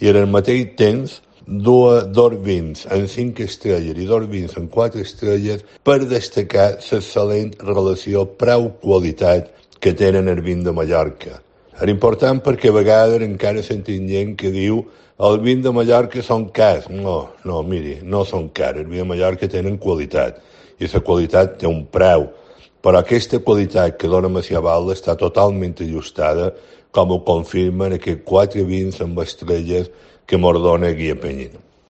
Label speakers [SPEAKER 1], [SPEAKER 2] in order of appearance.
[SPEAKER 1] I en el mateix temps, dos vins en 5 estrelles i dos vins en 4 estrelles per destacar l'excel·lent relació preu-qualitat que tenen el vin de Mallorca. És important perquè a vegades encara sentim gent que diu els vins de Mallorca són cars. No, miri, no són cars. Els vins de Mallorca tenen qualitat i la qualitat té un preu. Però aquesta qualitat que dona Macià Balda està totalment ajustada, com ho confirmen aquests 4 vins amb estrelles que mos dona Guia Penyina.